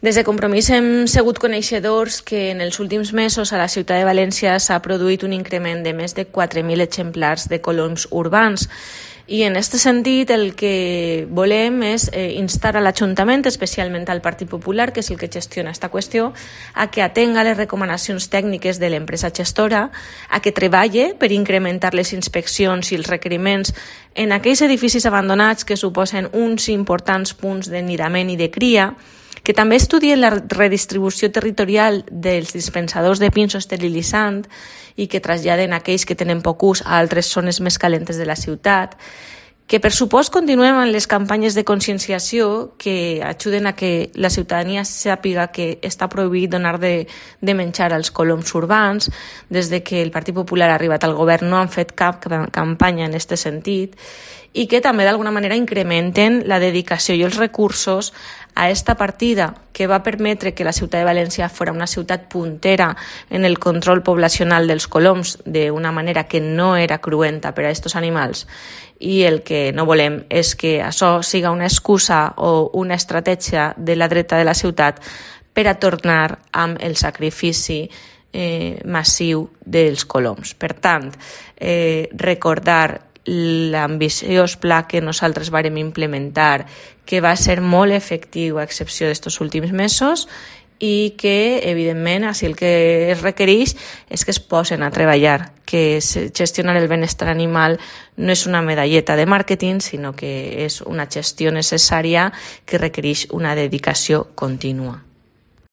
Des de Compromís hem sigut coneixedors que en els últims mesos a la ciutat de València s'ha produït un increment de més de 4.000 exemplars de coloms urbans. I en aquest sentit el que volem és instar a l'Ajuntament, especialment al Partit Popular, que és el que gestiona aquesta qüestió, a que atenga les recomanacions tècniques de l'empresa gestora, a que treballe per incrementar les inspeccions i els requeriments en aquells edificis abandonats que suposen uns importants punts de nidament i de cria, que també estudien la redistribució territorial dels dispensadors de pinsos esterilitzant i que traslladen aquells que tenen poc ús a altres zones més calentes de la ciutat, que per supost continuem amb les campanyes de conscienciació que ajuden a que la ciutadania sàpiga que està prohibit donar de menjar als coloms urbans. Des de que el Partit Popular ha arribat al govern no han fet cap campanya en aquest sentit, i que també d'alguna manera incrementen la dedicació i els recursos a esta partida que va permetre que la ciutat de València fos una ciutat puntera en el control poblacional dels coloms d'una manera que no era cruenta per a aquests animals. I el que no volem és que això siga una excusa o una estratègia de la dreta de la ciutat per a tornar amb el sacrifici massiu dels coloms. Per tant, recordar l'ambiciós pla que nosaltres vàrem implementar, que va ser molt efectiu a excepció d'estos últims mesos i que, evidentment, així el que es requereix és que es posen a treballar, que gestionar el benestar animal no és una medalleta de màrqueting, sinó que és una gestió necessària que requereix una dedicació contínua.